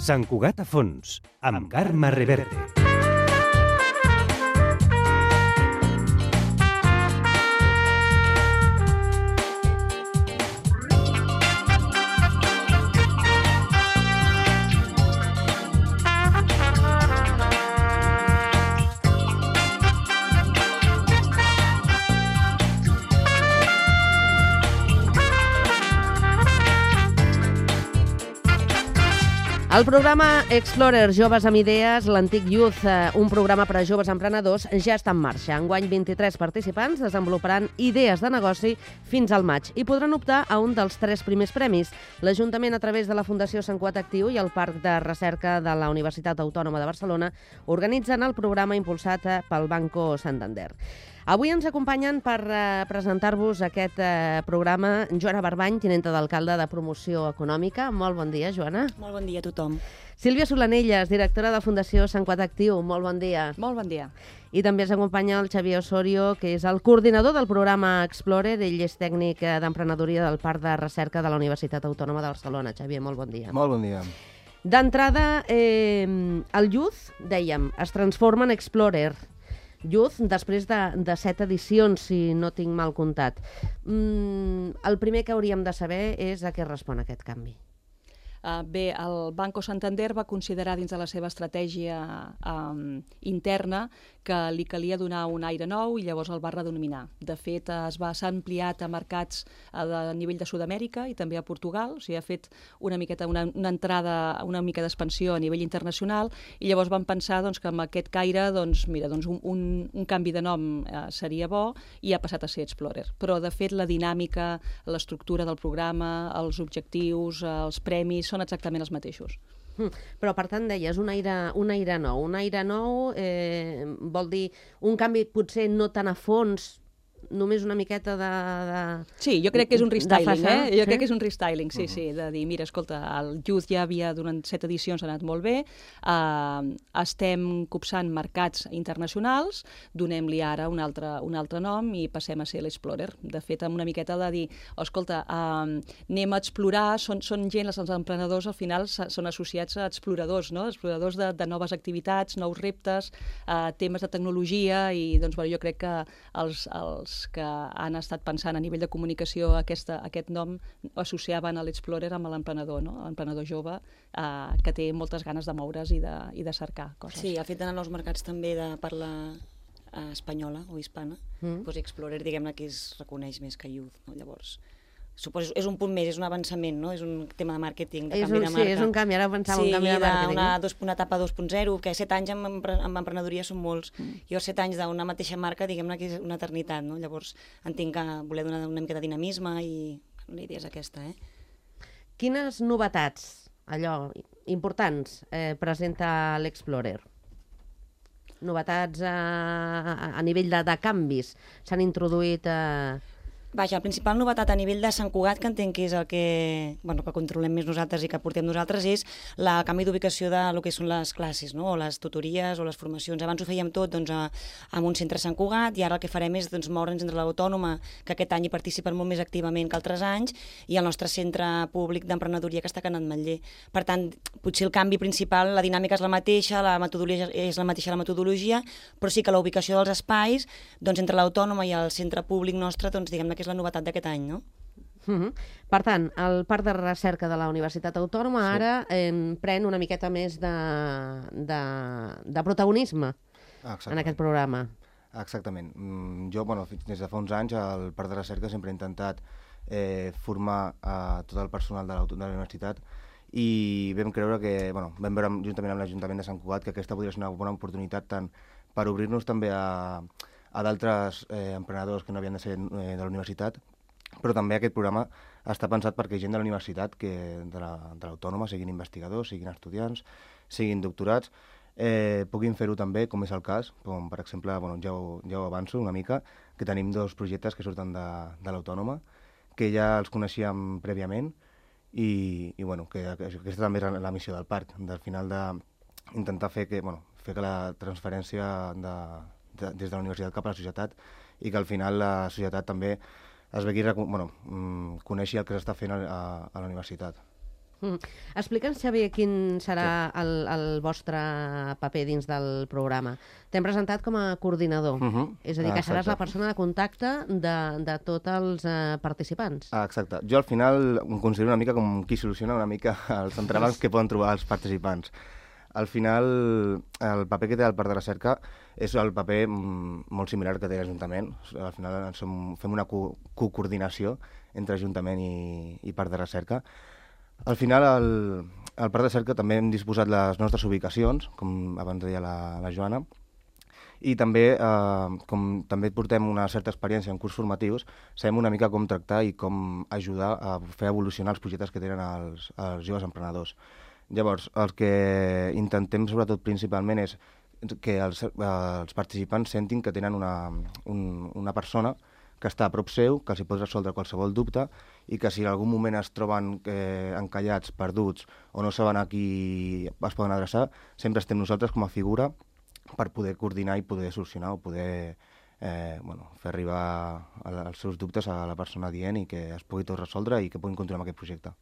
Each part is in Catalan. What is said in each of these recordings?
Sant Cugat a fons, amb Carme Reverte. El programa Explorer Joves amb Idees, l'antic Youth, un programa per a joves emprenedors, ja està en marxa. Enguany, 23 participants desenvoluparan idees de negoci fins al maig i podran optar a un dels 3 primers premis. L'Ajuntament, a través de la Fundació Sant Cugat Actiu i el Parc de Recerca de la Universitat Autònoma de Barcelona, organitzen el programa impulsat pel Banco Santander. Avui ens acompanyen per presentar-vos aquest programa Joana Barbany, tinenta d'alcalde de Promoció Econòmica. Molt bon dia, Joana. Molt bon dia a tothom. Sílvia Solanelles, directora de Fundació Sant Cugat Actiu. Molt bon dia. Molt bon dia. I també ens acompanya el Xavier Osorio, que és el coordinador del programa Explorer. Ell és tècnic d'emprenedoria del Parc de Recerca de la Universitat Autònoma de Barcelona. Xavier, molt bon dia. Molt bon dia. D'entrada, el Youth, dèiem, es transforma en Explorer. Youth, després de 7 edicions, si no tinc mal comptat. El primer que hauríem de saber és a què respon aquest canvi. Bé, el Banco Santander va considerar dins de la seva estratègia interna que li calia donar un aire nou i llavors el va redenominar. De fet, s'ha ampliat a mercats a nivell de Sud-amèrica i també a Portugal, o sigui, ha fet una entrada, una mica d'expansió a nivell internacional i llavors van pensar que amb aquest caire un canvi de nom seria bo i ha passat a ser Explorer. Però, de fet, la dinàmica, l'estructura del programa, els objectius, els premis, són exactament els mateixos. Però, per tant, deies, un aire nou. Un aire nou vol dir un canvi potser no tan a fons, només una miqueta de... Sí, jo crec que és un restyling, Jo crec que és un restyling, sí, de dir, mira, escolta, el Youth ja havia, durant 7 edicions, ha anat molt bé, estem copsant mercats internacionals, donem-li ara un altre nom i passem a ser l'Explorer. De fet, amb una miqueta de dir, escolta, anem a explorar, són gent, els emprenedors al final són associats a exploradors, no? Exploradors de noves activitats, nous reptes, temes de tecnologia i doncs, jo crec que els que han estat pensant a nivell de comunicació aquest nom associaven a l'Explorer amb l'emprenedor, no? L'emprenedor jove que té moltes ganes de moure's i de cercar coses. Sí, ha fet anar a nous mercats també de parla espanyola o hispana. Doncs Explorer, diguem-ne, que es reconeix més que Youth, no? Llavors, suposo, és un punt més, és un avançament, no? És un tema de màrqueting, de canvi de marca. Sí, és un canvi, ara pensava un canvi de màrqueting. Sí, una etapa 2.0, que 7 anys amb emprenedoria són molts. Jo 7 anys d'una mateixa marca, diguem-ne que és una eternitat, no? Llavors entenc que voler donar una mica de dinamisme i la idea és aquesta, Quines novetats, importants, presenta l'Explorer? Novetats a nivell de canvis s'han introduït... Vaja, la principal novetat a nivell de Sant Cugat, que entenc que és el que controlem més nosaltres i que portem nosaltres, és el canvi d'ubicació de lo que són les classes, no? O les tutories o les formacions. Abans ho fèiem tot amb un centre Sant Cugat i ara el que farem és moure'ns entre l'Autònoma, que aquest any hi participen molt més activament que altres anys, i el nostre centre públic d'emprenedoria que està a Can Ametller. Per tant, potser el canvi principal, la dinàmica és la mateixa, la metodologia és la mateixa, però sí que la ubicació dels espais, entre l'Autònoma i el centre públic nostre, diguem-ne que és la novetat d'aquest any, no? Per tant, el Parc de Recerca de la Universitat Autònoma ara pren una miqueta més de protagonisme en aquest programa. Exactament. Jo, des de fa uns anys, al Parc de Recerca sempre he intentat formar tot el personal de la universitat i vam creure que, vam veure juntament amb l'Ajuntament de Sant Cugat que aquesta podria ser una bona oportunitat tant per obrir-nos també a d'altres emprenedors que no havien de ser de la universitat, però també aquest programa està pensat perquè gent de la universitat, de l'Autònoma, siguin investigadors, siguin estudiants, siguin doctorats, puguin fer-ho també, com és el cas, com per exemple, ja ho avanço una mica, que tenim 2 projectes que surten de l'Autònoma, que ja els coneixíem prèviament i que aquesta també és la missió del parc, al final d'intentar fer que la transferència des de la universitat cap a la societat i que al final la societat també es vegi, coneixi el que s'està fent a la universitat. Explica'ns, Xavier, quin serà el vostre paper dins del programa. T'hem presentat com a coordinador, és a dir, que seràs la persona de contacte de tots els participants. Exacte. Jo al final em considero una mica com qui soluciona una mica els entrebancs que poden trobar els participants. Al final, el paper que té el Parc de Recerca és el paper molt similar que té l'Ajuntament. Al final fem una coordinació entre Ajuntament i Parc de Recerca. Al final, al Parc de Recerca també hem disposat les nostres ubicacions, com abans deia la Joana, i també, com també portem una certa experiència en curs formatius, sabem una mica com tractar i com ajudar a fer evolucionar els projectes que tenen els joves emprenedors. Llavors, el que intentem sobretot principalment és que els participants sentin que tenen una persona que està a prop seu, que els hi pot resoldre qualsevol dubte i que si en algun moment es troben encallats, perduts o no saben a qui es poden adreçar, sempre estem nosaltres com a figura per poder coordinar i poder solucionar o poder fer arribar els seus dubtes a la persona dient i que es pugui tot resoldre i que puguin continuar amb aquest projecte.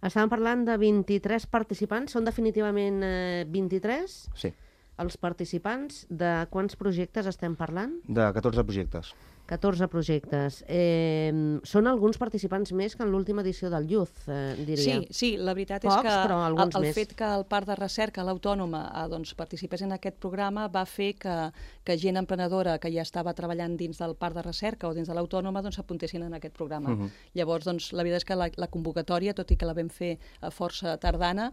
Estàvem parlant de 23 participants. Són definitivament 23? Sí. Els participants, de quants projectes estem parlant? De 14 projectes. 14 projectes. Són alguns participants més que en l'última edició del Youth, diria. Sí, la veritat Pocs, és que però alguns el més. fet que el Parc de Recerca, l'Autònoma, participés en aquest programa va fer que gent emprenedora que ja estava treballant dins del Parc de Recerca o dins de l'Autònoma s'apuntessin en aquest programa. Llavors, la veritat és que la convocatòria, tot i que la vam fer força tardana,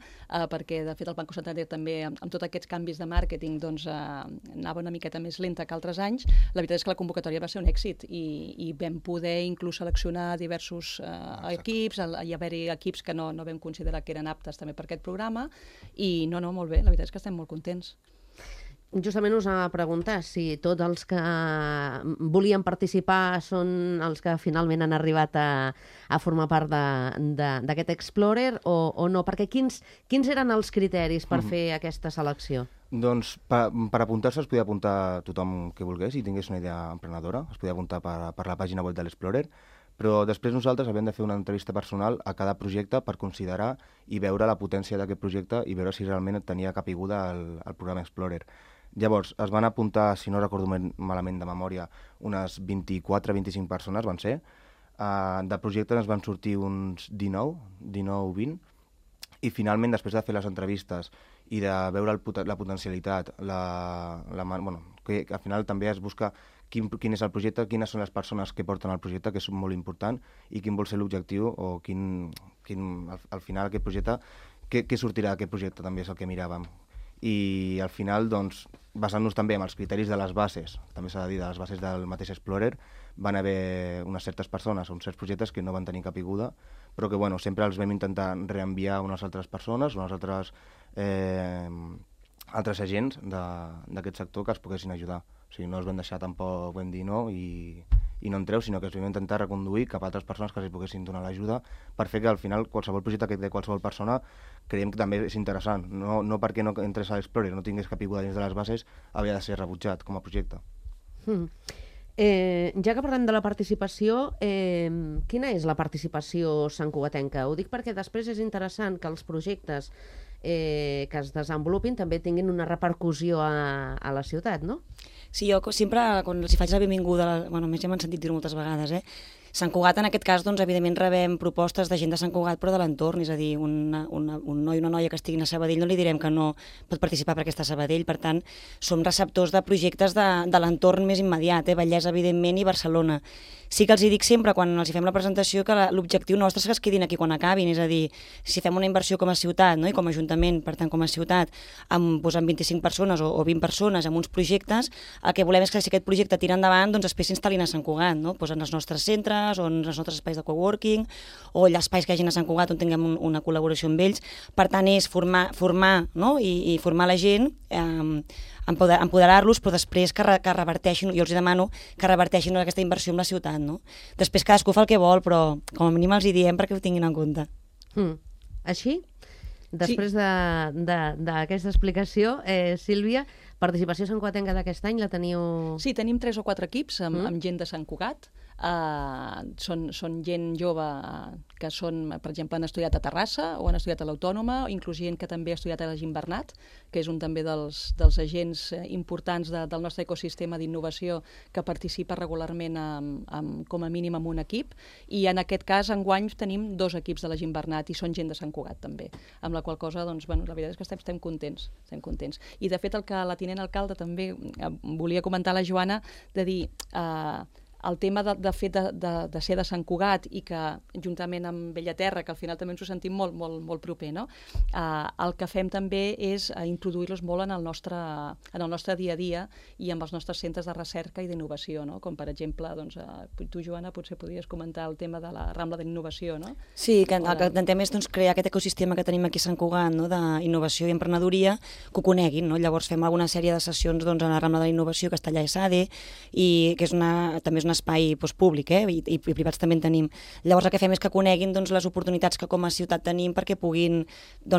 perquè de fet el Banco Santander també, amb tots aquests canvis de màrqueting, anava una miqueta més lenta que altres anys, la veritat és que la convocatòria va ser un èxit i vam poder inclús seleccionar diversos equips, hi haver-hi equips que no vam considerar que eren aptes també per aquest programa i molt bé, la veritat és que estem molt contents. Justament us anava a preguntar si tots els que volien participar són els que finalment han arribat a formar part d'aquest Explorer o no, perquè quins eren els criteris per fer aquesta selecció? Doncs per apuntar-se es podia apuntar tothom que volgués i tingués una idea emprenedora, es podia apuntar per la pàgina web de l'Explorer, però després nosaltres havíem de fer una entrevista personal a cada projecte per considerar i veure la potència d'aquest projecte i veure si realment tenia capiguda al programa Explorer. Llavors, es van apuntar, si no recordo malament de memòria, unes 24-25 persones van ser. De projectes ens van sortir uns 19-20, i finalment, després de fer les entrevistes i de veure la potencialitat, que al final també es busca quin és el projecte, quines són les persones que porten el projecte, que és molt important, i quin vol ser l'objectiu o al final aquest projecte, què sortirà d'aquest projecte també és el que miràvem. I al final, doncs, basant-nos també en els criteris de les bases, també s'ha de dir, de les bases del mateix Explorer, van haver unes certes persones o uns certs projectes que no van tenir capiguda, però que sempre els vam intentar reenviar a unes altres persones, unes altres agents d'aquest sector que es poguessin ajudar. O sigui, no els vam deixar tampoc, vam dir no i no entreu, sinó que es vam intentar reconduir cap a altres persones que els poguessin donar l'ajuda per fer que al final qualsevol projecte que té qualsevol persona creiem que també és interessant. No perquè no entres a l'Explorer, no tingués capiguda dins de les bases, havia de ser rebutjat com a projecte. Ja que parlem de la participació, quina és la participació santcugatenca? Ho dic perquè després és interessant que els projectes que es desenvolupin també tinguin una repercussió a la ciutat, no? Sí, jo sempre, quan els faig la benvinguda, més ja m'han sentit dir moltes vegades, Sant Cugat, en aquest cas, doncs, evidentment rebem propostes de gent de Sant Cugat, però de l'entorn, és a dir, un noi o una noia que estiguin a Sabadell no li direm que no pot participar perquè està a Sabadell, per tant, som receptors de projectes de l'entorn més immediat, Vallès, evidentment, i Barcelona. Sí que els dic sempre, quan els fem la presentació, que l'objectiu nostre és que es quedin aquí quan acabin, és a dir, si fem una inversió com a ciutat, no? I com a ajuntament, per tant, com a ciutat, amb 25 persones o 20 persones en uns projectes, el que volem és que si aquest projecte tira endavant, doncs després s'instal·lin a Sant Cugat, no? En els nostres centres, o en els nostres espais de coworking, o els espais que hi hagin a Sant Cugat on tinguem una col·laboració amb ells. Per tant, és formar no? I formar la gent, empoderar-los, però després que reverteixin, jo els demano que reverteixin aquesta inversió en la ciutat, no? Després cadascú fa el que vol, però com a mínim els hi diem perquè ho tinguin en compte. Així, després d'aquesta explicació, Sílvia, participació santcugatenca d'aquest any la teniu... Sí, tenim 3 o 4 equips amb gent de Sant Cugat. Són gent jove que són, per exemple, han estudiat a Terrassa o han estudiat a l'Autònoma, inclús gent que també ha estudiat a la Gimbernat, que és un també dels agents importants del nostre ecosistema d'innovació que participa regularment com a mínim amb un equip, i en aquest cas enguany tenim 2 equips de la Gimbernat i són gent de Sant Cugat també, amb la qual cosa doncs, bueno, la veritat és que estem contents. I de fet el que la tinent alcalde també volia comentar a la Joana, de dir el tema de fet de ser de Sant Cugat i que juntament amb Bellaterra, que al final també ens ho sentim molt, molt, molt proper, no? El que fem també és introduir-los molt en el nostre dia a dia i amb els nostres centres de recerca i d'innovació, no? Com per exemple, doncs, tu, Joana, potser podries comentar el tema de la Rambla de l'Innovació, no? Sí, que el que intentem és crear aquest ecosistema que tenim aquí a Sant Cugat, no? D'innovació i emprenedoria, que ho coneguin, no? Llavors fem alguna sèrie de sessions a la Rambla de l'Innovació, que està allà a ESADE, i que també és un espai públic, i privats també en tenim. Llavors el que fem és que coneguin les oportunitats que com a ciutat tenim perquè puguin,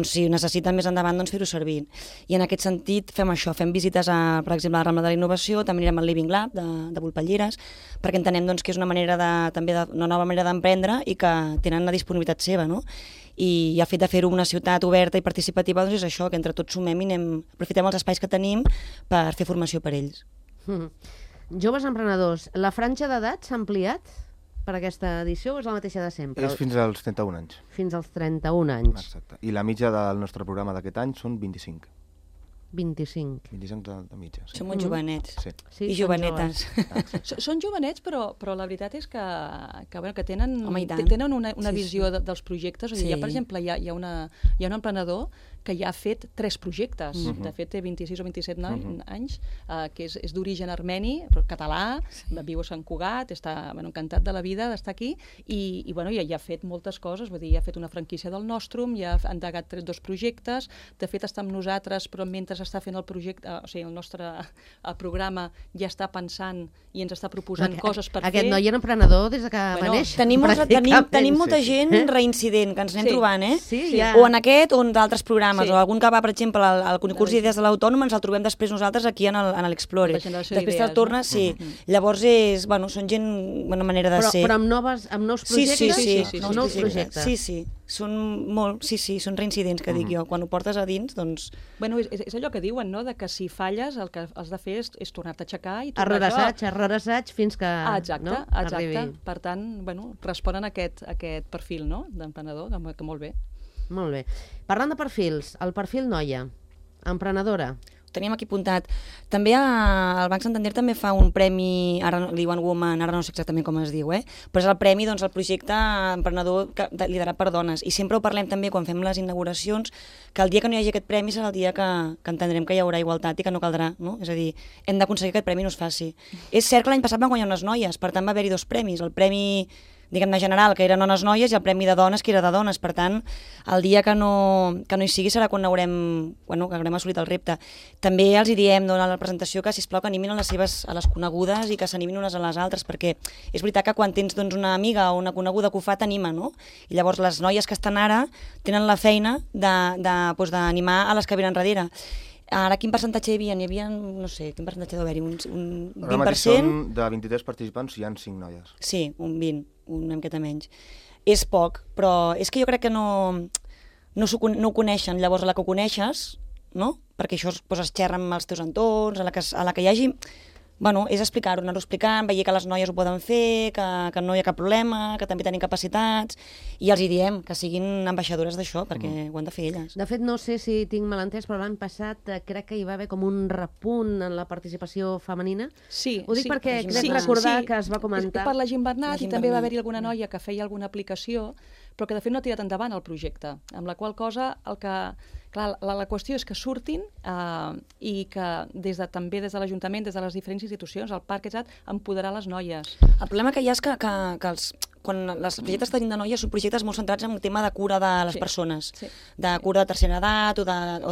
si ho necessiten més endavant, fer-ho servir. I en aquest sentit fem això, fem visites per exemple, a la Rambla de l'Innovació, també anirem al Living Lab de Volpelleres, perquè entenem que és una nova manera d'emprendre i que tenen la disponibilitat seva, no? I el fet de fer-ho una ciutat oberta i participativa és això, que entre tots sumem i aprofitem els espais que tenim per fer formació per ells. Joves emprenedors, la franja d'edat s'ha ampliat per aquesta edició o és la mateixa de sempre? És fins als 31 anys. Fins als 31 anys. Exacte. I la mitja del nostre programa d'aquest any són 25. 25. 25 de mitja. Sí. Som molt jovenets. Sí. I jovenetes. Són jovenets, però la veritat és que tenen una visió dels projectes. Sí. Per exemple, hi ha un emprenedor que ja ha fet 3 projectes. De fet, té 26 o 27 anys, que és d'origen armeni, però català, viu a Sant Cugat, està encantat de la vida d'estar aquí, i ja ha fet moltes coses, vull dir, ja ha fet una franquícia del Nostrum, ja ha endegat 2 projectes, de fet està amb nosaltres, però mentre està fent el projecte, o sigui, el nostre programa ja està pensant i ens està proposant coses per fer. Aquest noi era emprenedor des que va néixer. Tenim molta gent reincident que ens anem trobant, o en aquest o en d'altres programes, o algun que va, per exemple, al concurs d'Idees de l'Autònoma, ens el trobem després nosaltres aquí en l'Explore. Després te'l tornes, sí. Llavors són gent, una manera de ser. Però amb nous projectes? Sí. Nous projectes. Sí. Són reincidents, que dic jo. Quan ho portes a dins, doncs... Bueno, és allò que diuen, no?, de que si falles el que has de fer és tornar-te a aixecar i tornar error assaig fins que exacte. Per tant, responen a aquest perfil, no?, d'emprenedor, que molt bé. Molt bé. Parlant de perfils, el perfil noia, emprenedora. Ho teníem aquí apuntat. També el Banc Santander també fa un premi, ara li diuen Woman, ara no sé exactament com es diu, però és el premi al projecte emprenedor liderat per dones. I sempre ho parlem també quan fem les inauguracions, que el dia que no hi hagi aquest premi serà el dia que entendrem que hi haurà igualtat i que no caldrà, no? És a dir, hem d'aconseguir que aquest premi no es faci. És cert que l'any passat van guanyar unes noies, per tant va haver-hi 2 premis. El premi, diguem-ne, general, que eren dones noies, i el premi de dones, que era de dones. Per tant, el dia que no hi sigui serà quan que haurem assolit el repte. També els hi diem a la presentació que, sisplau, que animin a les conegudes i que s'animin unes a les altres, perquè és veritat que quan tens una amiga o una coneguda que ho fa, t'anima, no? I llavors les noies que estan ara tenen la feina d'animar a les que venen darrere. Ara, quin percentatge hi havia? N'hi havia, no sé, quin percentatge deu haver-hi? Un 20%? Ara mateix són de 23 participants, hi ha 5 noies. Sí, un 20, una miqueta menys. És poc, però és que jo crec que no ho coneixen. Llavors, a la que ho coneixes, no? Perquè això es xerra amb els teus entorns, a la que hi hagi... és explicar-ho, anar-ho explicant, veure que les noies ho poden fer, que no hi ha cap problema, que també tenim capacitats, i els hi diem que siguin ambaixadores d'això, perquè ho han de fer elles. De fet, no sé si tinc mal entès, però l'any passat crec que hi va haver com un repunt en la participació femenina. Sí. Ho dic perquè crec recordar que es va comentar... Per la Gimbernat, i també va haver-hi alguna noia que feia alguna aplicació, però que de fet no ha tirat endavant el projecte, amb la qual cosa la qüestió és que surtin i que també des de l'Ajuntament, des de les diferents institucions, el Parc, empoderar les noies. El problema que hi ha és que quan els projectes que tenim de noies són projectes molt centrats en un tema de cura de les persones, de cura de tercera edat o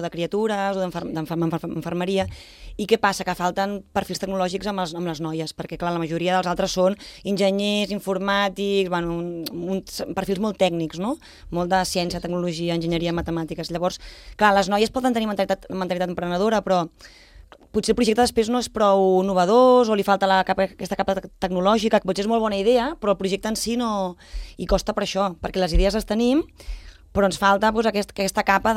de criatures o d'enfermeria. I què passa? Que falten perfils tecnològics amb les noies, perquè clar, la majoria dels altres són enginyers, informàtics, perfils molt tècnics, no? Molt de ciència, tecnologia, enginyeria, matemàtiques. Llavors, clar, les noies poden tenir mentalitat emprenedora, però potser el projecte després no és prou innovador o li falta aquesta capa tecnològica, que potser és molt bona idea, però el projecte en si no hi costa per això, perquè les idees les tenim, però ens falta aquesta capa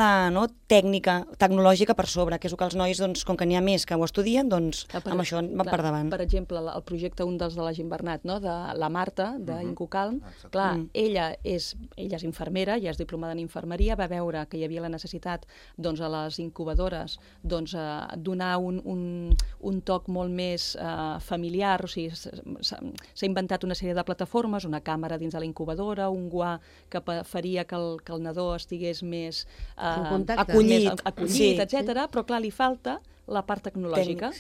tècnica, tecnològica per sobre, que és el que els nois, com que n'hi ha més que ho estudien, doncs amb això van per davant. Per exemple, el projecte, un dels de la Gimbernat, de la Marta, d'Incocalm, clar, ella és infermera, ja és diplomada en infermeria, va veure que hi havia la necessitat a les incubadores donar un toc molt més familiar, o sigui, s'ha inventat una sèrie de plataformes, una càmera dins de la incubadora, un guà que faria que el nadó estigués més acollit, etc. Però clar, li falta la part tecnològica.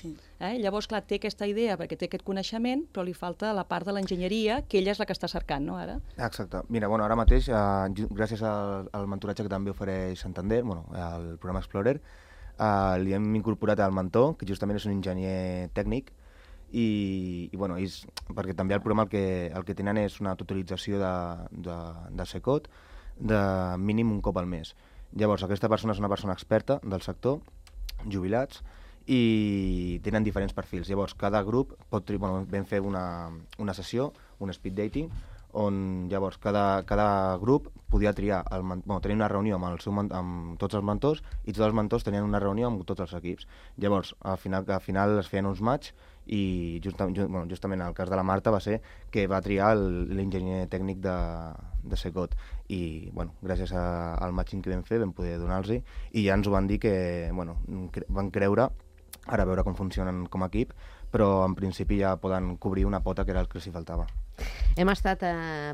Llavors, clar, té aquesta idea perquè té aquest coneixement, però li falta la part de l'enginyeria, que ella és la que està cercant, no, ara? Exacte. Mira, ara mateix, gràcies al mentoratge que també ofereix Santander, el programa Explorer, li hem incorporat al mentor, que justament és un enginyer tècnic, i perquè també el programa el que tenen és una tutorització de SECOT, de mínim un cop al mes. Llavors, aquesta persona és una persona experta del sector, jubilats, i tenen diferents perfils. Llavors, cada grup vam fer una sessió, un speed dating, on llavors cada grup podia triar, tenir una reunió amb tots els mentors, i tots els mentors tenien una reunió amb tots els equips. Llavors, al final es feien uns match, i justament el cas de la Marta va ser que va triar l'enginyer tècnic de SECOT, i gràcies al matching que vam fer vam poder donar-los-hi, i ja ens ho van dir que van creure, ara a veure com funcionen com a equip, però en principi ja poden cobrir una pota que era el que els hi faltava. Hem estat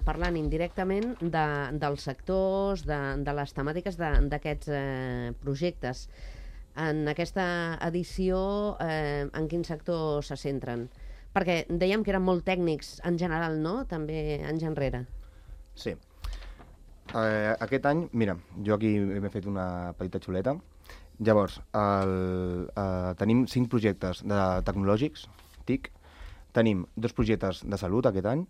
parlant indirectament dels sectors, de les temàtiques d'aquests projectes. En aquesta edició, en quin sector se centren? Perquè dèiem que eren molt tècnics en general, no? També anys enrere. Sí. Aquest any, mira, jo aquí m'he fet una petita xuleta. Llavors, tenim 5 projectes tecnològics, TIC, tenim 2 projectes de salut aquest any,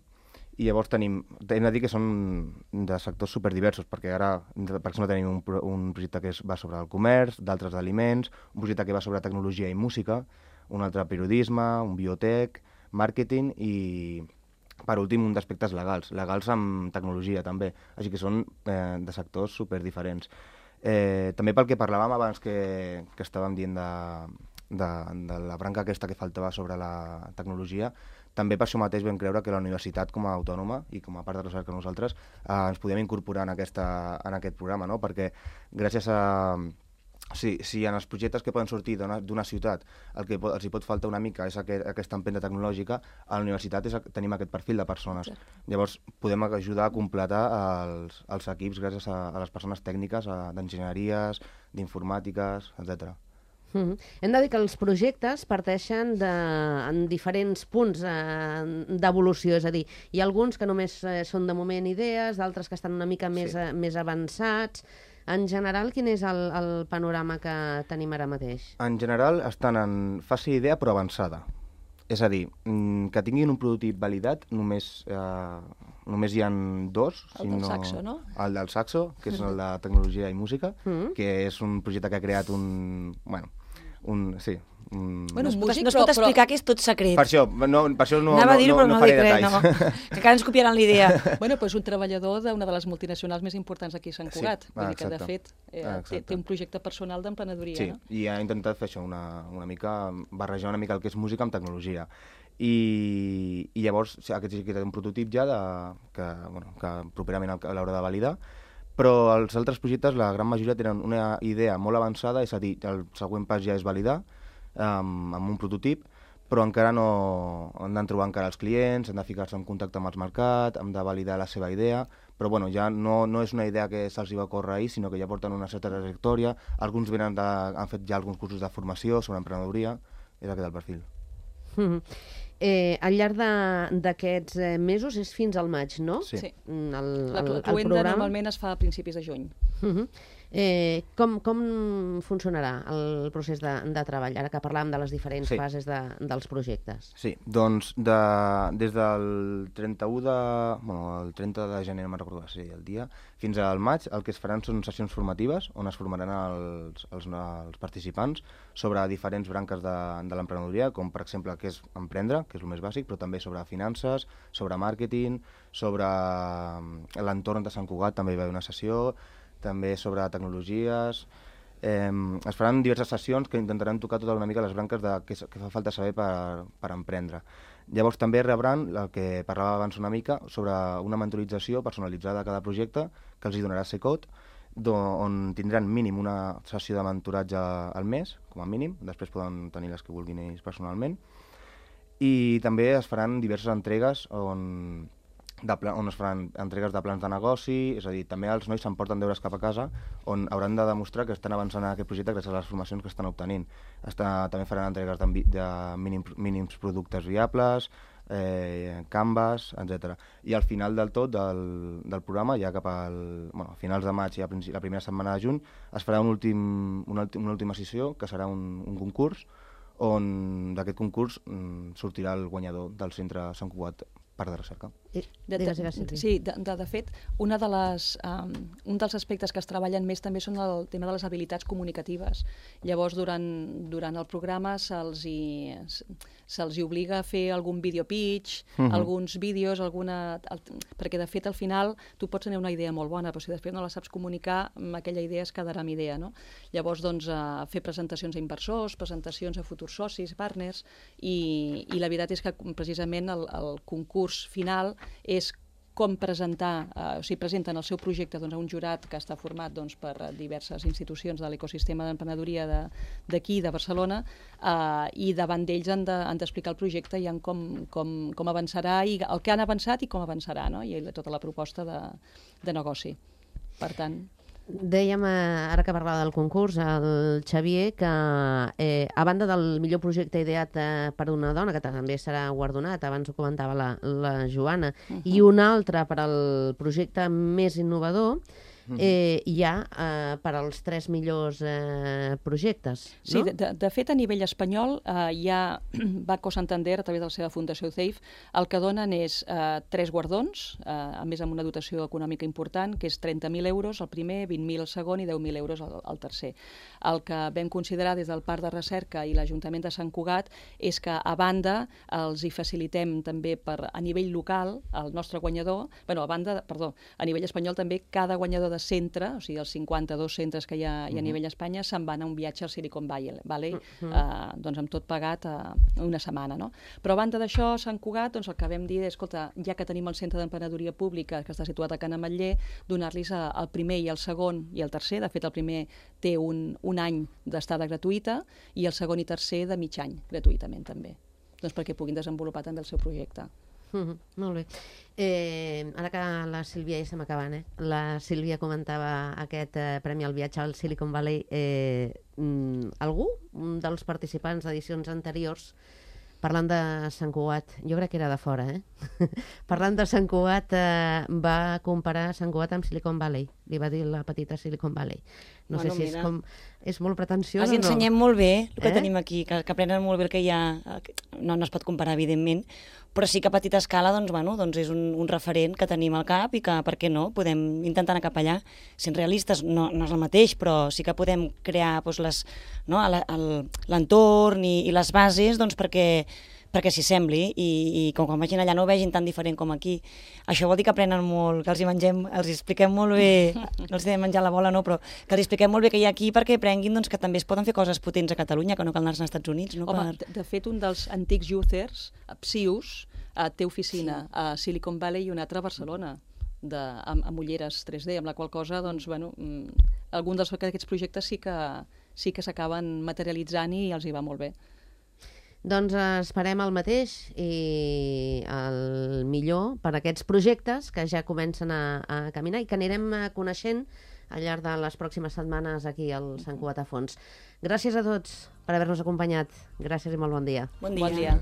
i llavors hem de dir que són de sectors superdiversos, perquè ara, per exemple, tenim un projecte que va sobre el comerç, d'altres d'aliments, un projecte que va sobre tecnologia i música, un altre periodisme, un biotec, màrqueting i, per últim, un d'aspectes legals amb tecnologia també, així que són de sectors superdiferents. També pel que parlàvem abans que estàvem dient de la branca aquesta que faltava sobre la tecnologia, també per això mateix vam creure que la universitat com a autònoma i com a part de recerca nosaltres ens podíem incorporar en aquest programa, no? Perquè gràcies a... Si en els projectes que poden sortir d'una ciutat el que els hi pot faltar una mica és aquesta empenta tecnològica, a la universitat tenim aquest perfil de persones. Llavors podem ajudar a completar els equips gràcies a les persones tècniques, d'enginyeries, d'informàtiques, etc. Hem de dir que els projectes parteixen en diferents punts d'evolució, és a dir, hi ha alguns que només són de moment idees, d'altres que estan una mica més avançats. En general, quin és el panorama que tenim ara mateix? En general estan en fase idea però avançada. És a dir, que tinguin un prototip validat només hi ha 2. El del Saxo, no? El del Saxo, que és el de tecnologia i música, que és un projecte que ha creat no es pot explicar que és tot secret. Per això no faré detalls. Que encara ens copiaran l'idea. És un treballador d'una de les multinacionals més importants aquí a Sant Cugat. Vull dir que, de fet, té un projecte personal d'emprenedoria. Sí, i ha intentat fer això, barrejar una mica el que és música amb tecnologia. I llavors aquest sí que té un prototip ja que properament l'haurà de validar, però els altres projectes, la gran majoria, tenen una idea molt avançada, és a dir, el següent pas ja és validar amb un prototip, però encara no han de trobar encara els clients, han de ficar-se en contacte amb els mercats, han de validar la seva idea, però ja no és una idea que se'ls va córrer ahir, sinó que ja porten una certa trajectòria, alguns han fet ja alguns cursos de formació sobre emprenedoria, és aquest el perfil. Al llarg d'aquests mesos és fins al maig, no? Sí. El cloenda normalment es fa a principis de juny. Com funcionarà el procés de treball, ara que parlàvem de les diferents fases dels projectes? Sí, doncs des del 30 de gener, no me'n recordo el dia, fins al maig, el que es faran són sessions formatives on es formaran els participants sobre diferents branques de l'emprenedoria, com per exemple què és emprendre, que és el més bàsic, però també sobre finances, sobre màrqueting, sobre l'entorn de Sant Cugat també hi va haver una sessió, també sobre tecnologies. Es faran diverses sessions que intentaran tocar tota una mica les branques de què fa falta saber per emprendre. Llavors també rebran el que parlava abans una mica sobre una mentorització personalitzada a cada projecte que els hi donarà Secot, on tindran mínim una sessió de mentoratge al mes, com a mínim, després poden tenir les que vulguin ells personalment, i també es faran diverses entregues on es faran entregues de plans de negoci, és a dir, també els nois s'emporten deures cap a casa on hauran de demostrar que estan avançant en aquest projecte gràcies a les formacions que estan obtenint. També faran entregues de mínims productes viables, Canvas, etc. I al final del tot del programa, ja cap a finals de maig i la primera setmana de juny, es farà una última sessió, que serà un concurs, on d'aquest concurs sortirà el guanyador del centre Sant Cugat Parc de Recerca. Sí, de fet, un dels aspectes que es treballen més també són el tema de les habilitats comunicatives. Llavors, durant el programa se'ls hi obliga a fer algun video pitch, alguns vídeos, perquè de fet al final tu pots tenir una idea molt bona, però si després no la saps comunicar, aquella idea es quedarà amb idea, no? Llavors, doncs, fer presentacions a inversors, presentacions a futurs socis, partners, i la veritat és que precisament el concurs final és com presentar, o sigui, presenten el seu projecte a un jurat que està format per diverses institucions de l'ecosistema d'emprenedoria d'aquí, de Barcelona, i davant d'ells han d'explicar el projecte i com avançarà, i el que han avançat i com avançarà, no? I tota la proposta de negoci. Per tant... Dèiem, ara que parlava del concurs, el Xavier, que a banda del millor projecte ideat per una dona, que també serà guardonat, abans ho comentava la Joana, i un altre per al projecte més innovador, hi ha per als 3 millors projectes. Sí, de fet, a nivell espanyol, hi ha Banco Santander, a través de la seva fundació CEIF, el que donen és 3 guardons, a més amb una dotació econòmica important, que és 30.000 euros el primer, 20.000 el segon i 10.000 euros el tercer. El que vam considerar des del Parc de Recerca i l'Ajuntament de Sant Cugat és que, a banda, els hi facilitem també a nivell local, el nostre guanyador, a nivell espanyol també, cada guanyador de centre, o sigui, els 52 centres que hi ha a nivell d'Espanya, se'n van a un viatge al Silicon Valley, doncs amb tot pagat una setmana, no? Però a banda d'això, Sant Cugat, doncs el que vam dir és, escolta, ja que tenim el Centre d'Emprenedoria Pública, que està situat a Can Ametller, donar-los el primer i el segon i el tercer. De fet, el primer té un any d'estada gratuïta i el segon i tercer de mig any, gratuïtament també, doncs perquè puguin desenvolupar també el seu projecte. Molt bé. Ara que la Sílvia ja estem acabant, la Sílvia comentava aquest premi al viatge al Silicon Valley. Algú dels participants d'edicions anteriors, parlant de Sant Cugat, jo crec que era de fora, parlant de Sant Cugat, va comparar Sant Cugat amb Silicon Valley. Li va dir la petita Silicon Valley. No sé si és molt pretensiós o no. Els ensenyem molt bé el que tenim aquí, que aprenen molt bé el que hi ha. No es pot comparar, evidentment, però sí que a petita escala és un referent que tenim al cap i que, per què no, podem intentar anar cap allà. Sent realistes, no és el mateix, però sí que podem crear l'entorn i les bases perquè s'hi sembli i quan vagin allà no ho vegin tan diferent com aquí. Això vol dir que aprenen molt, que els expliquem molt bé, no els hem menjat la bola, no, però que els expliquem molt bé que hi ha aquí perquè aprenguin que també es poden fer coses potents a Catalunya, que no cal anar als Estats Units. Home, de fet, un dels antics youthers, Psius, té oficina a Silicon Valley i una altra a Barcelona, amb ulleres 3D, amb la qual cosa, alguns d'aquests projectes sí que s'acaben materialitzant i els hi va molt bé. Doncs esperem el mateix i el millor per a aquests projectes que ja comencen a caminar i que anirem coneixent al llarg de les pròximes setmanes aquí al Sant Cugat a Fons. Gràcies a tots per haver-nos acompanyat. Gràcies i molt bon dia. Bon dia.